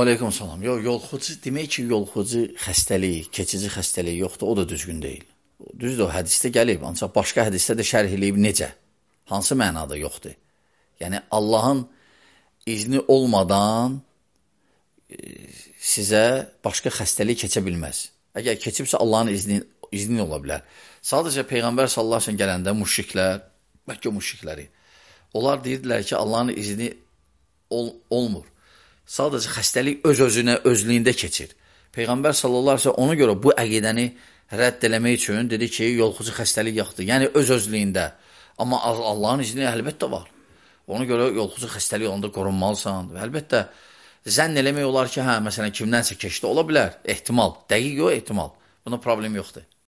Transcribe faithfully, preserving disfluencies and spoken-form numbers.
Aleyküm salam. Yox, yolxucu, demək ki, yolxucu xəstəlik, keçici xəstəlik yoxdur, o da düzgün deyil. Düzdür, o hədisdə gəlib, ancaq başqa hədisdə də şərh eləyib necə? Hansı mənada yoxdur? Yəni, Allahın izni olmadan e, sizə başqa xəstəlik keçə bilməz. Əgər keçibsə, Allahın izni, izni ola bilər. Sadəcə Peyğəmbər sallallahu əleyhi və səlləm gələndə müşriklər, Məkkə müşrikləri, onlar deyirdilər ki, Allahın izni ol, olmur. Sadəcə xəstəlik öz-özünə, özlüyündə keçir. Peyğəmbər sallallahu əleyhi və səlləm ona görə bu əqidəni rədd eləmək üçün dedi ki, yolxucu xəstəlik yoxdur. Yəni öz-özlüyündə. Amma Allahın izni əlbəttə var. Ona görə yolxucu xəstəlik olanda qorunmalısan. Və əlbəttə zənn eləmək olar ki, hə, məsələn, kimdənsə keçdi, ola bilər, ehtimal. Dəqiq yox, ehtimal. Buna problem yoxdur.